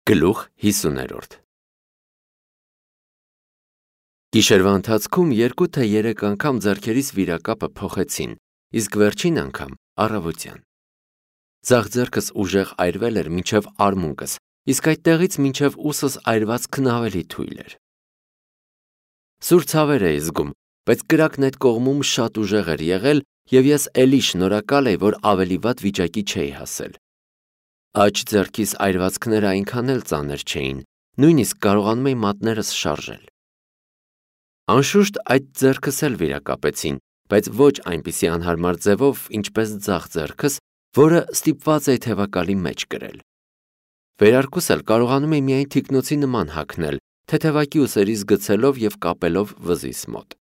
Գլուխ 50-րդ Գիշերվա ընթացքում 2 թե 3 անգամ ձեռքերիս վիրակապը փոխեցին, իսկ վերջին անգամ առավոտյան։ Ձախ ձեռքս ուժեղ այրվել էր մինչև արմունկս, իսկ այդտեղից մինչև ուսս այրվածքն ավելի թույլ էր։ Սուր ցավեր էի զգում, բայց կրակն այդ կողմում շատ ուժեղ էր եղել, և ես էլի շնորհակալ էի, որ ավելի վատ վիճակի չէի հասել։ Աջ ձեռքիս այրվածքները այնքան էլ ծանր չէին, նույնիսկ կարողանում էի մատներս շարժել։ Անշուշտ այդ ձեռքս էլ վիրակապեցին, բայց ոչ այնպիսի անհարմար ձևով, ինչպես ձախ ձեռքս, որը ստիպված էի թևակալի մեջ կրել։ Վերարկուս էլ կարողանում էի միայն թիկնոցի նման հագնել, թեթևակի ուսերիս գցելով և կապելով վզիս մոտ։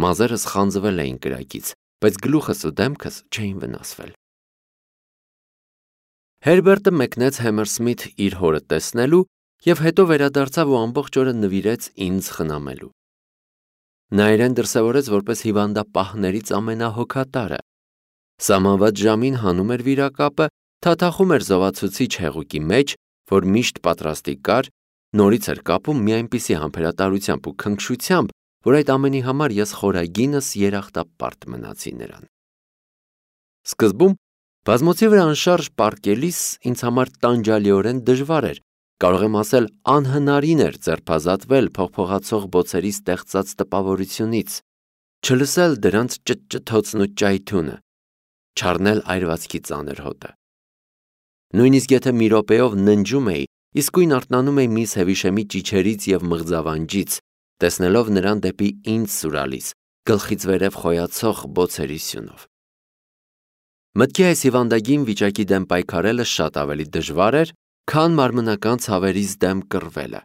Մազերս խանձվել էին կրակից, բայց գլուխս ու դեմքս չէին վնասվել։ Հերբերտը մեկնեց Համերսմիթ իր հորը տեսնելու և հետո վերադարձավ ու ամբողջ օրը նվիրեց ինձ խնամելու։ Նա իրեն դրսևորեց որպես հիվանդապահներից ամենահոգատարը։ Սահմանված ժամին հանում էր վիրակապը, թաթախում էր զովացուցիչ հեղուկի մեջ, որ միշտ պատրաստի կար, նորից էր կապում մի այնպիսի համբերատարությամբ ու քնքշությամբ, որ այդ ամենի համար ես խորագինս երախտապարտ մնացի նրան։ Սկզբում բազմոցի վրա անշարժ պառկելիս ինձ համար տանջալիորեն դժվար էր, կարող եմ ասել անհնարին էր ձերբազատվել փողփողացող բոցերի ստեղծած տպավորությունից, չլսել դրանց ճտճթոցն ու ճայթյունը, չառնել այրվածքի ծանր հոտը։ Նույնիսկ եթե մի րոպեով ննջում էի, իսկույն արթնանում էի միս Հևիշեմի ճիչերից և մղձավանջից, տեսնելով նրան դեպի ինձ սուրալիս, գլխից վերև խոյացող բոցերի սյունով։ Մտքի այս հիվանդագին վիճակի դեմ պայքարելը շատ ավելի դժվար էր, քան մարմնական ցավերից դեմ կռվելը,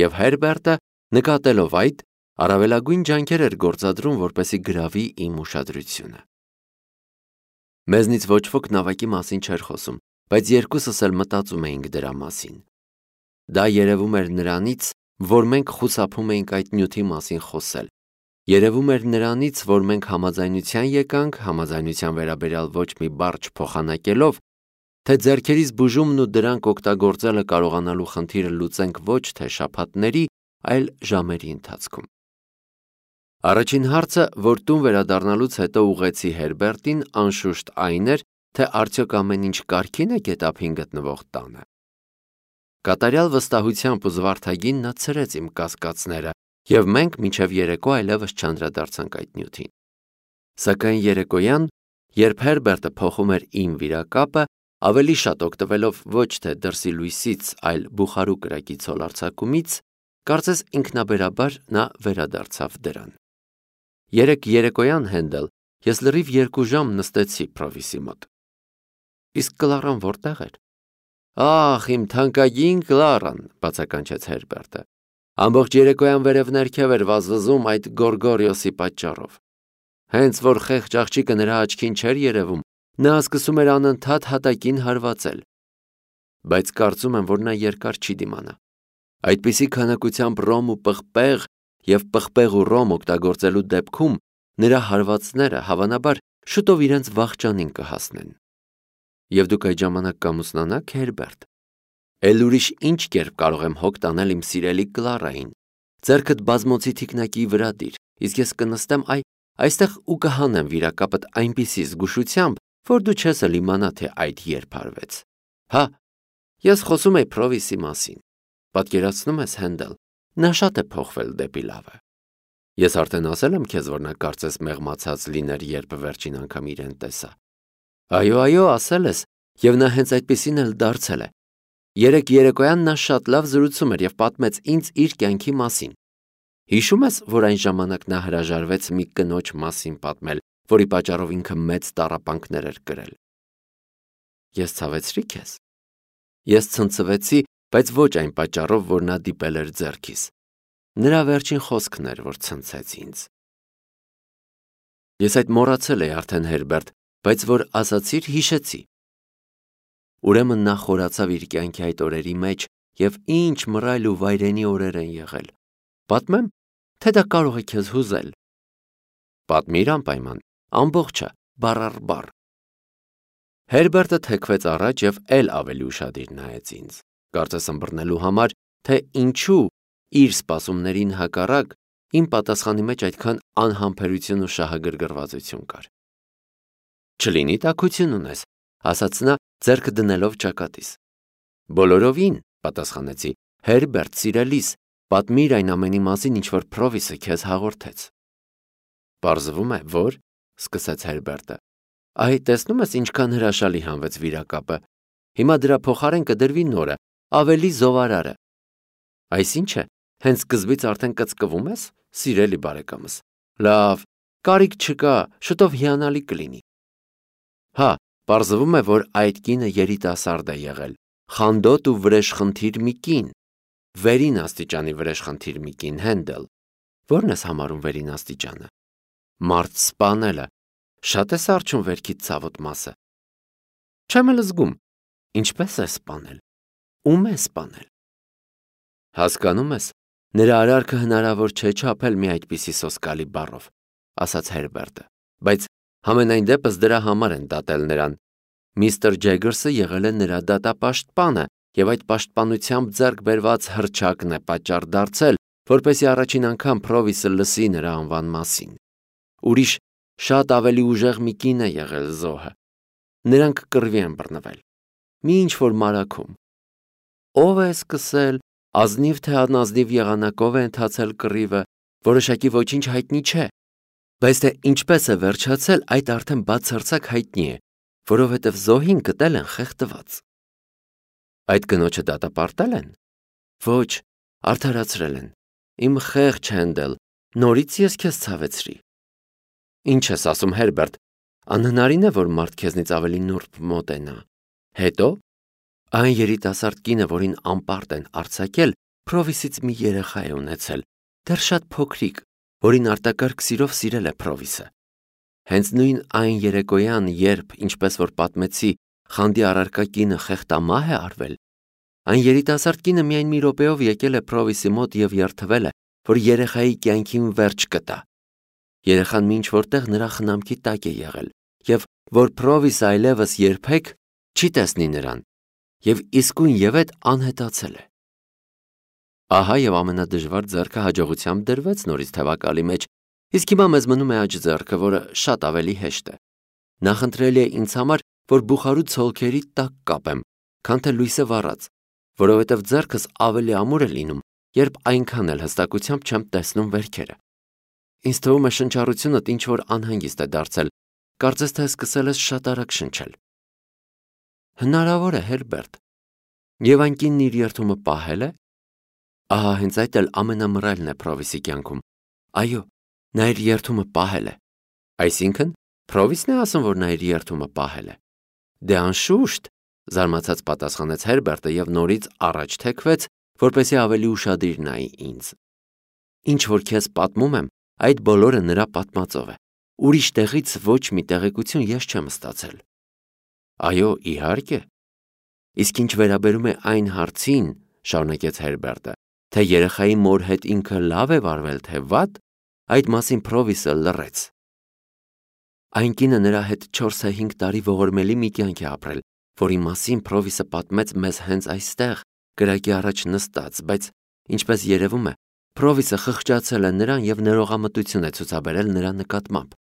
և Հերբերտը, նկատելով այդ, առավելագույն ջանքեր էր գործադրում, որպեսզի գրավի իմ ուշադրությունը։ Մեզնից ոչ ոք նավակի մասին չէր խոսում, բայց երկուսս էլ մտածում էինք դրա մասին։ Դա երևում էր նրանից, որ մենք խուսափում էինք այդ նյութի մասին խոսել, երևում էր նրանից, որ մենք համաձայնության եկանք, համաձայնության վերաբերյալ ոչ մի բառ չփոխանակելով, թե ձեռքերիս բուժումն ու դրանք օգտագործելը կարողանալու խնդիրը լուծենք ոչ թե շաբաթների, այլ ժամերի ընթացքում։ Առաջին հարցը, որ տուն վերադառնալուց հետո ուղղեցի Հերբերտին, անշուշտ այն էր, թե արդյոք ամեն ինչ կարգին է Գետափին գտնվող տանը։ Կատարյալ վստահությամբ ու զվարթագին նա ցրեց իմ կասկածները, և մենք մինչև երեկո այլևս չանդրադարձանք այդ նյութին։ Սակայն երեկոյան, երբ Հերբերտը փոխում էր իմ վիրակապը, ավելի շատ օգտվելով ոչ թե դրսի լույսից, այլ բուխարու կրակի ցոլարձակումից, կարծես ինքնաբերաբար նա վերադարձավ դրան։ Երեկոյան, Հենդել, ես լրիվ 2 ժամ նստեցի Փրովիսի մոտ։ Իսկ Կլարան որտեղ էր։ Ախ, իմ թանկագին Կլարան, բացականչեց Հերբերտը։ Ամբողջ երեկոյան վերև-ներքև էր վազվզում այդ Գորգորիոսի պատճառով։ Հենց որ խեղճ աղջիկը նրա աչքին չէր երևում, նա սկսում էր անընդհատ հատակին հարվածել։ Բայց կարծում եմ, որ նա երկար չի դիմանա։ Այդպիսի քանակությամբ ռոմ ու պղպեղ և պղպեղ ու ռոմ օգտագործելու դեպքում նրա հարվածները հավանաբար շուտով իրենց վախճանին կհասնեն։ Եվ դուք այդ ժամանակ կամուսնանաք, Հերբերտ։ Էլ ուրիշ ինչ կերպ կարող եմ հոգ տանել իմ սիրելի Կլարային։ Ձեռքդ բազմոցի թիկնակի վրա դիր, իսկ ես կնստեմ այստեղ ու կհանեմ վիրակապդ այնպիսի զգուշությամբ, որ դու չես էլ իմանա, թե այդ երբ արվեց։ Հա, ես խոսում էի Փրովիսի մասին։ Պատկերացնում ես, Հենդել, նա շատ է փոխվել դեպի լավը։ Ես արդեն ասել եմ քեզ, որ նա կարծես մեղմացած լիներ, երբ վերջին անգամ իրեն տեսա։ Այո, ասել ես, և նա հենց այդպիսին էլ դարձել է։ Երեկոյան նա շատ լավ զրուցում էր և պատմեց ինձ իր կյանքի մասին։ Հիշում ես, որ այն ժամանակ նա հրաժարվեց մի կնոջ մասին պատմել, որի պատճառով ինքը մեծ տառապանքներ էր կրել։ Ես ցավեցրի քեզ։ Ես ցնցվեցի, բայց ոչ այն պատճառով, որ նա դիպել էր ձեռքիս։ Նրա վերջին խոսքն էր, որ ցնցեց ինձ։ Ես այդ մոռացել էի արդեն, Հերբերտ, բայց որ ասացիր, հիշեցի։ Ուրեմն նա խորացավ իր կյանքի այդ օրերի մեջ, և ինչ մռայլ ու վայրենի օրեր են եղել։ Պատմեմ, թե դա կարող է քեզ հուզել։ Պատմիր անպայման, ամբողջը, բառ առ բառ։ Հերբերտը թեքվեց առաջ և էլ ավելի ուշադիր նայեց ինձ։ կարծես ըմբռնելու համար, թե ինչու իր սպասումներին հակառակ իմ պատասխանի մեջ այդքան անհամբերություն ու շահագրգռվածություն կար։ Չլինի տաքություն ունես, ասաց նա ձեռքը դնելով ճակատիս։ Բոլորովին, պատասխանեցի, Հերբերտ, սիրելիս, պատմիր այն ամենի մասին, ինչ որ Փրովիսը քեզ հաղորդեց։ Պարզվում է, որ, սկսեց Հերբերտը, այ տեսնում ես ինչքան հրաշալի հանվեց վիրակապը։ Հիմա դրա փոխարեն կդրվի նորը, ավելի զովարարը։ Այսինչ է, հենց սկզբից արդեն կծկվում ես, սիրելի բարեկամս։ Լավ, կարիք չկա, շուտով հիանալի կլինի։ Հա, պարզվում է, որ այդ կինը երիտասարդ է եղել, խանդոտ ու վրեժխնդիր մի կին, վերին աստիճանի վրեժխնդիր մի կին, Հենդել։ Ո՞րն ես համարում վերին աստիճանը։ Մարդ սպանելը, շատ է սառչում վերքիդ ցավոտ մասը։ Չեմ էլ զգում, ինչպես է սպանել, ում է սպանել։ Հասկանում ես, նրա արարքը հնարավոր չէ չափել մի այդպիսի սոսկալի բառով, ասաց Հերբերտը, բայց համենայն դեպս դրա համար են դատել նրան։ Միստր Ջեգերսը եղել է նրա դատապաշտպանը և այդ պաշտպանությամբ ձեռք բերված հռչակն է պատճառ դարձել, որպեսզի առաջին անգամ Փրովիսը լսի նրա անվան մասին։ Ուրիշ շատ ավելի ուժեղ մի կին է եղել զոհը։ Նրանք կռվի են բռնվել։ Մի ինչ-որ մարագում։ Ո՞վ է սկսել, ազնիվ թե անազնիվ եղանակով է ընթացել կռիվը, որոշակի ոչինչ հայտնի չէ, բայց թե ինչպես է վերջացել, այդ արդեն բացարձակ հայտնի է, որովհետև զոհին գտել են խեղդված։ Այդ կնոջը դատապարտել են։ Ոչ, արդարացրել են։ Իմ խեղճ Հենդել, նորից ես քեզ ցավեցրի։ Ինչ ես ասում, Հերբերտ, անհնարին է, որ մարդ քեզնից ավելի նուրբ մոտենա։ Հետո այն երիտասարդ կինը, որին անպարտ են արձակել, Փրովիսից մի երեխա է ունեցել, դեռ շատ փոքրիկ, որին արտակարգ սիրով սիրել է Փրովիսը։ Հենց նույն այն երեկոյան, երբ, ինչպես որ պատմեցի, խանդի առարկա կինը խեղդամահ է արվել, այն երիտասարդ կինը միայն մի րոպեով եկել է Փրովիսի մոտ և երդվել է, որ երեխայի կյանքին վերջ կտա։ Երեխան մինչ որտեղ նրա խնամքի տակ է եղել, և որ Փրովիսը այլևս երբեք չի տեսնի նրան, և իսկույնևեթ անհետացել է։ Ահա և ամենադժվար ձեռքը հաջողությամբ դրվեց նորից թևակալի մեջ, իսկ հիմա մեզ մնում է աջ ձեռքը, որը շատ ավելի հեշտ է։ Նախընտրելի է ինձ համար, որ բուխարու ցոլքերի տակ կապեմ, քան թե լույսը վառած, որովհետև ձեռքս ավելի ամուր է լինում, երբ այնքան էլ հստակությամբ չեմ տեսնում վերքերը։ Ինձ թվում է շնչառությունդ ինչ-որ անհանգիստ է դարձել, կարծես թե սկսել ես շատ արագ շնչել։ Հնարավոր է, Հերբերտ։ Եվ այն կինն իր երդումը պահել է։ Ահա հենց այդ էլ ամենամռայլն է Փրովիսի կյանքում։ Այո, նա իր երդումը պահել է։ Այսինքն, Փրովիսն է ասում, որ նա իր երդումը պահել է։ Դե անշուշտ, զարմացած պատասխանեց Հերբերտը և նորից առաջ թեքվեց, որպեսզի ավելի ուշադիր նայի ինձ։ Ինչ որ քեզ պատմում եմ, այդ բոլորը նրա պատմածով է։ Ուրիշ տեղից ոչ մի տեղեկություն ես չեմ ստացել։ Այո, իհարկե։ Իսկ ինչ վերաբերում է այն հարցին, շարունակեց Հերբերտը, թե երեխայի մոր հետ ինքը լավ է վարվել, թե վատ, այդ մասին Փրովիսը լռեց։ Այն կինը նրա հետ 4-5 տարի ողորմելի մի կյանք է ապրել, որի մասին Փրովիսը պատմեց մեզ հենց այստեղ, կրակի առաջ նստած, բայց, ինչպես երևում է, Փրովիսը խղճացել է նրան և ներողամտություն է ցուցաբերել նրա նկատմամբ։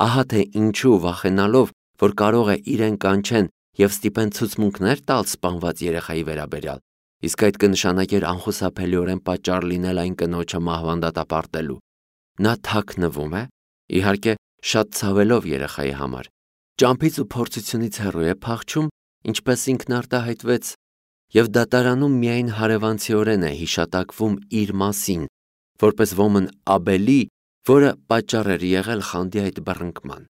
Ահա թե ինչու վախենալով, որ կարող է իրեն կանչեն և ստիպեն ցուցմունքներ տալ սպանված երեխայի վերաբերյալ, իսկ այդ կնշանակեր անխուսափելիորեն պատճառ լինել այն կնոջը մահվան դատապարտելու։ Նա թաքնվում է, իհարկե, շատ ցավելով երեխայի համար, ճամփից ու փորձությունից հեռու է փախչում, ինչպես ինքն արտահայտվեց, և դատարանում միայն հարևանցիորեն է հիշատակվում իր մասին, որպես ոմն Աբելի, որը պատճառ էր եղել խանդի այդ բռնկման։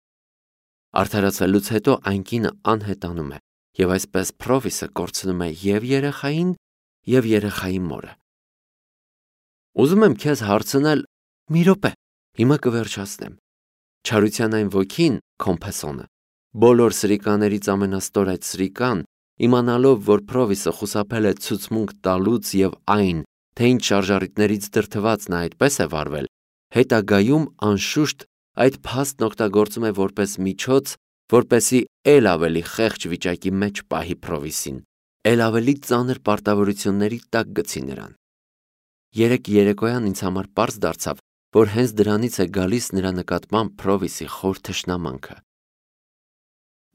Արդարացվելուց հետո այն կինը անհետանում է, և այսպես Փրովիսը կորցնում է և երեխային, և երեխայի մորը։ Ուզում եմ քեզ հարցնել, մի րոպե, հիմա կվերջացնեմ։ Չարության այն ոգին, Կոմփեսոնը, բոլոր սրիկաներից ամենաստոր այդ սրիկան, իմանալով, որ Փրովիսը խուսափել է ցուցմունք տալուց և այն, թե ինչ շարժառիթներից դրդված նա այդպես է վարվել, հետագայում անշուշտ այդ փաստն օգտագործում է որպես միջոց, որպեսզի էլ ավելի խեղճ վիճակի մեջ պահի Փրովիսին, էլ ավելի ծանր պարտավորությունների տակ գցի նրան։ Երեկ երեկոյան ինձ համար պարզ դարձավ, որ հենց դրանից է գալիս նրա նկատմամբ Փրովիսի խոր թշնամանքը։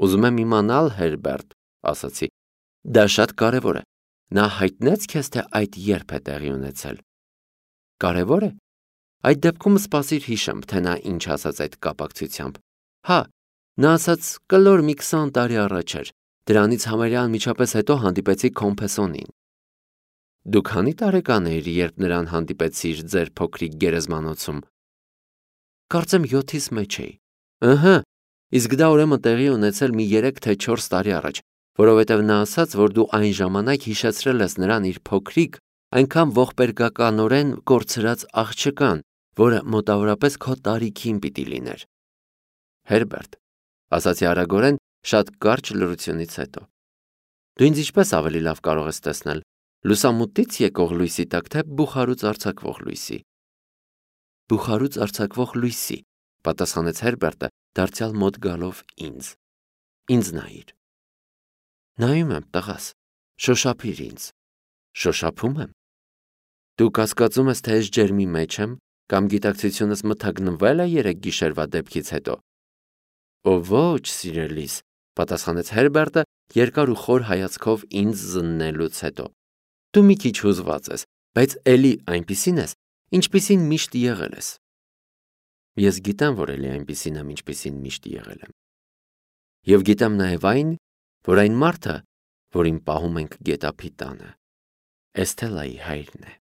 Ուզում եմ իմանալ, Հերբերտ, ասացի, դա շատ կարևոր է։ Նա հայտնեց քեզ, թե այդ երբ է տեղի ունեցել։ Կարևոր է։ Այդ դեպքում սպասիր հիշեմ, թե նա ինչ ասաց այդ կապակցությամբ։ Հա, նա ասաց կլոր մի 20 տարի առաջ էր։ Դրանից համարյա անմիջապես հետո հանդիպեցի Կոմփեսոնին։ Դու քանի տարեկան էիր, երբ նրան հանդիպեցիր ձեր փոքրիկ գերեզմանոցում։ Կարծեմ 7-ից մեջ էի։ Ըհը, իսկ դա ուրեմն տեղի ունեցել մի 3 թե 4 տարի առաջ, որովհետև նա ասաց, որ դու այն ժամանակ հիշեցրել ես նրան իր փոքրիկ, այնքան ողբերգականորեն կորցրած աղջկան, որը մոտավորապես քո տարիքին պիտի լիներ։ Հերբերտ, ասացի արագորեն, շատ կարճ լռությունից հետո։ Դու ինձ ինչպես ավելի լավ կարող ես տեսնել, լուսամուտից եկող լույսի տակ, թե բուխարուց արձակվող լույսի։ Բուխարուց արձակվող լույսի, պատասխանեց Հերբերտը, դարձյալ մոտ գալով ինձ։ Ինձ նայիր։ Նայում եմ, տղաս, շոշափիր ինձ։ Շոշափում եմ։ Դու կասկածում ես, թե ես ջերմի մեջ եմ, կամ գիտակցությունս մթագնվել է երեք գիշերվա դեպքից հետո։ Ո ոչ, սիրելիս, պատասխանեց Հերբերտը, երկար ու խոր հայացքով ինձ զննելուց հետո։ Դու մի քիչ հուզված ես, բայց էլի այնպիսին ես, ինչպիսին միշտ եղել ես։ Ես գիտեմ, որ էլի այնպիսին եմ, ինչպիսին միշտ եղել եմ։ Եվ գիտեմ նաև այն, որ այն մարդը, որին պահում ենք գետափի տանը, Էսթելայի հայրն է։